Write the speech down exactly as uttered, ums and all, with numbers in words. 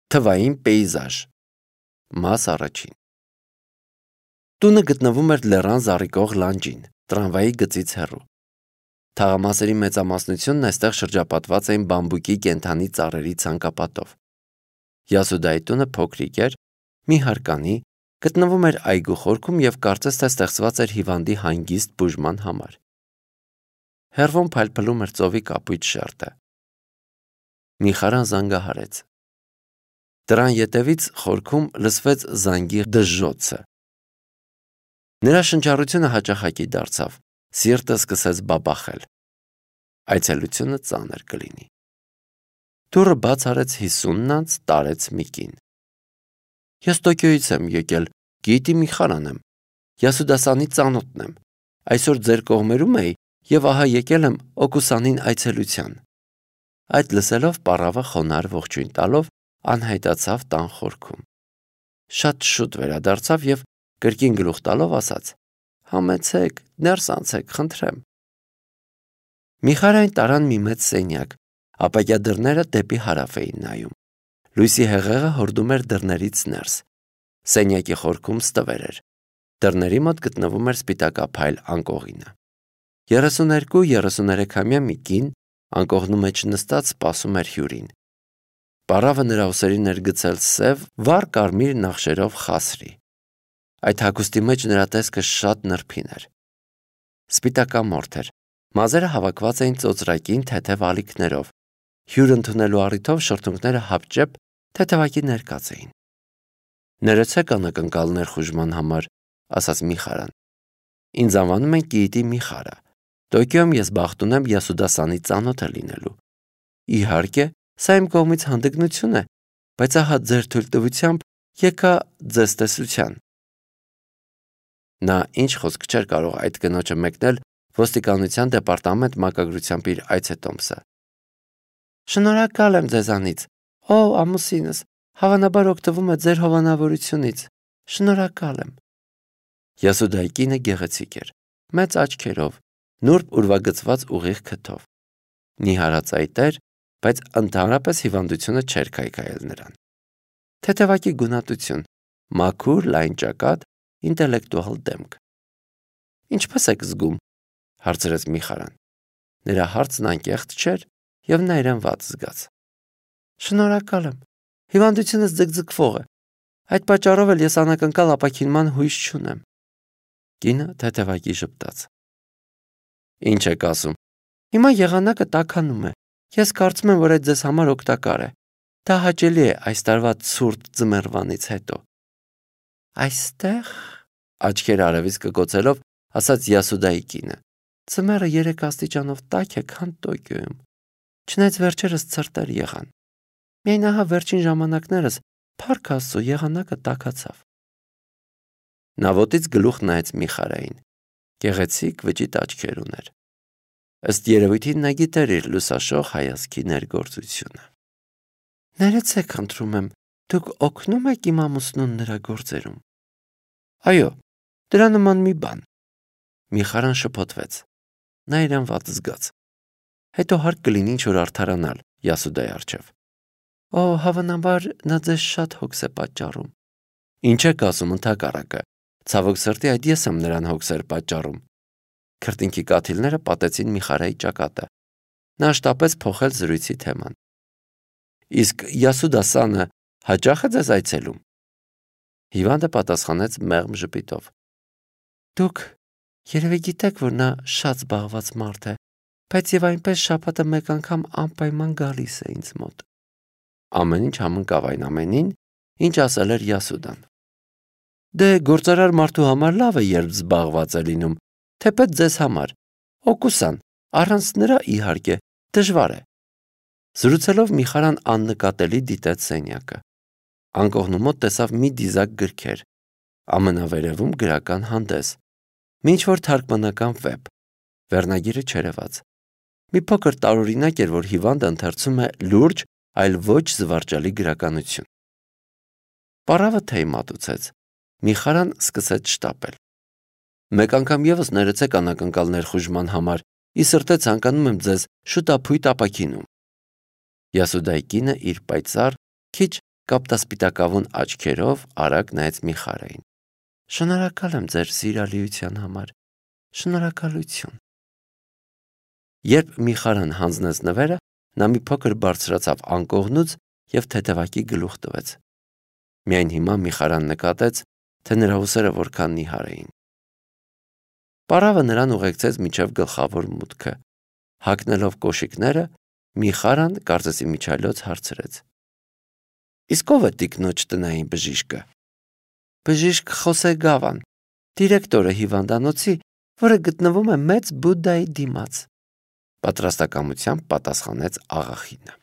Թվային պեյզաժ։ Մաս առաջին։ Տունը գտնվում էր լեռան զառիկող լանջին, տրամվայի գծից հեռու։ Թաղամասերի մեծամասնությունն այստեղ շրջապատված էին բամբուկի կենդանի ծառերի ցանկապատով։ Յասուդայի տունը փոքրիկ էր, մի հարկանի, գտնվում էր այգու խորքում և կարծես թե ստեղծված էր հիվանդի հանգիստ բուժման համար։ Հեռվում փայլփլում էր ծովի կապույտ շերտը։ Միխարան զանգահարեց։ Դրան ետևից խորքում լսվեց զանգի դժժոցը։ Նրա շնչառությունը հաճախակի դարձավ, սիրտը սկսեց բաբախել։ Այցելությունը ծանր կլինի։ Դուռը բաց արեց հիսունն անց տարեց մի կին։ Ես Տոկիոյից եմ եկել, գիտի Միխարան եմ, Յասուդասանի ծանոթն եմ, այսօր ձեր կողմերում էի և ահա եկել եմ Օկուսանին այցելության։ Այդ լսելով պառավը խոնարհ ողջույն տալով անհայտացավ տան խորքում։ Շատ շուտ վերադարձավ և կրկին գլուխ տալով ասաց. «Համեցեք, ներս անցեք, խնդրեմ»։ Միխարային տարան մի մեծ սենյակ, ապակյա դռները դեպի հարավ էին նայում։ Լույսի հեղեղը հորդում էր դռներից ներս։ Սենյակի խորքում ստվեր էր։ Դռների մոտ գտնվում էր սպիտակափայլ անկողինը։ Երեսուներկու երեսուներեքամյա մի կին անկողնու մեջ նստած սպասում էր հյուրին։ Պառավը նրա ուսերին էր գցել սև, վառ կարմիր նախշերով խասրի։ Այդ հագուստի մեջ նրա տեսքը շատ նրբին էր։ Սպիտակամորթ էր, մազերը հավաքված էին ծոծրակին թեթև ալիքներով։ Հյուր ընդունելու առիթով շրթունքները հապճեպ թեթևակի ներկած էին։ «Ներեցեք անակնկալ ներխուժման համար», ասաց Միխարան։ «Ինձ անվանում են Կիիտի Միխարա։ Տոկիոյում ես բախտ ունեմ Յասուդասանի ծանոթը լինելու։ Իհարկե, սա իմ կողմից հանդգնություն է, բայց ահա ձեր թույլտվությամբ եկա ձեզ տեսության»։ Նա ինչ խոսք չէր կարող այդ կնոջը մեկնել ոստիկանության դեպարտամենտ մակագրությամբ իր այցետոմսը։ «Շնորհակալ եմ ձեզանից, ով ամուսինս, հավանաբար օգտվում է ձեր հովանավորությունից, շնորհակալ եմ»։ Յասուդայի կինը գեղեցիկ էր, մեծ աչքերով, նուրբ ուրվագծված ուղիղ քթով։ Նիհարածայիտ էր, բայց ընդհանրապես հիվանդությունը չէր քայքայել նրան։ Թեթևակի գունատություն, մաքուր, լայն ճակատ, ինտելեկտուալ դեմք։ «Ինչպես եք զգում», հարցրեց Միխարան։ Նրա հարցն անկեղծ չէր, և նա իրեն վատ զգաց։ «Շնորհակալ եմ, հիվանդությունս ձգձգվող է, այդ պատճառով էլ ես անակնկալ ապաքինման հույս չունեմ»։ Կինը թեթևակի ժպտաց։ «Ինչ եք ասում»։ «Հիմա եղանակը տաքանում է, ես կարծում եմ, որ այդ ձեզ համար օգտակար է։ Դա հաճելի է այս տարվա ցուրտ ձմեռվանից հետո»։ «Այստեղ», աչքերը արևից կկոցելով, ասաց Յասուդայի կինը, «ձմեռը երեք աստիճանով տաք է, քան Տոկիոյում, չնայած վերջերս ցրտեր եղան։ Միայն ահա վերջին ժամանակներս, փառք Աստծո, եղանակը տաքացավ»։ Նա ոտից գլուխ նայեց Միխարային։ Գեղեցիկ վճիտ աչքեր ուներ։ Ըստ երևույթին նա գիտեր իր լուսաշող հայացքի ներգործությունը։ «Ներեցեք, խնդրում եմ, դուք օգնում եք իմ ամուսնուն նրա գործերում»։ «Այո, դրա նման մի բան»։ Միխարան շփոթվեց։ Նա իրեն վատ զգաց։ Հետո հարկ կլինի ինչ-որ արդարանալ Յասուդայի առջև։ «Օ, հավանաբար նա ձեզ շատ հոգս է պատճառում»։ «Ինչ եք ասում, ընդհակառակը, ցավոք սրտի այդ ես եմ նրան հոգսեր պատճառում»։ Քրտինքի կաթիլները պատեցին Միխարայի ճակատը։ Նա շտապեց փոխել զրույցի թեման։ «Իսկ Յասուդասանը հաճախ է ձեզ այցելում»։ Հիվանդը պատասխանեց մեղմ ժպիտով։ «Դուք երևի գիտեք, որ նա շատ զբաղված մարդ է, բայց և այնպես շաբաթը մեկ անգամ անպայման գալիս է ինձ մոտ»։ Ամեն ինչ համընկավ այն ամենին, ինչ ասել էր Յասուդան։ «Դե գործարար մարդու համար լավ է, երբ զբաղված է լինում, թեպետ ձեզ համար, Օկուսան, առանց նրա, իհարկե, դժվար է»։ Զրուցելով Միխարան աննկատելի դիտեց սենյակը։ Անկողնու մոտ տեսավ մի դիզակ գրքեր, ամենավերևում գրական հանդես, մի ինչ-որ թարգմանական վեպ, վերնագիրը չերևաց։ Մի փոքր տարօրինակ էր, որ հիվանդը ընթերցում է լուրջ, այլ ոչ զվարճալի գրականություն։ Պառավը թեյ մատուցեց։ Միխարան սկսեց շտապել։ «Մեկ անգամ ևս ներեցեք անակնկալ ներխուժման համար, ի սրտե ցանկանում եմ ձեզ շուտափույթ ապաքինում»։ Յասուդայի կինը իր պայծառ, քիչ կապտասպիտակավուն աչքերով արագ նայեց Միխարային։ Շնորհակալ եմ ձեր սիրալիության համար։ Շնորհակալություն։ Երբ Միխարան հանձնեց նվերը, նա մի փոքր բարձրացավ անկողնուց և թեթևակի գլուխ տվեց։ Միայն հիմա Միխարան նկատեց, թե նրա ուսերը որքան նիհար էին։ Պարավը նրան ուղեկցեց մինչև գլխավոր մուտքը։ Հագնելով կոշիկները, Միխարան կարծես իմիջիայլոց հարցրեց. Իսկ ով է տիկնոջ տնային բժիշկը։ Բժիշկ Խոսե Գավան, դիրեկտորը հիվանդանոցի, որը գտնվում է մեծ Բուդդայի դիմաց, պատրաստակամությամբ պատասխանեց աղախինը։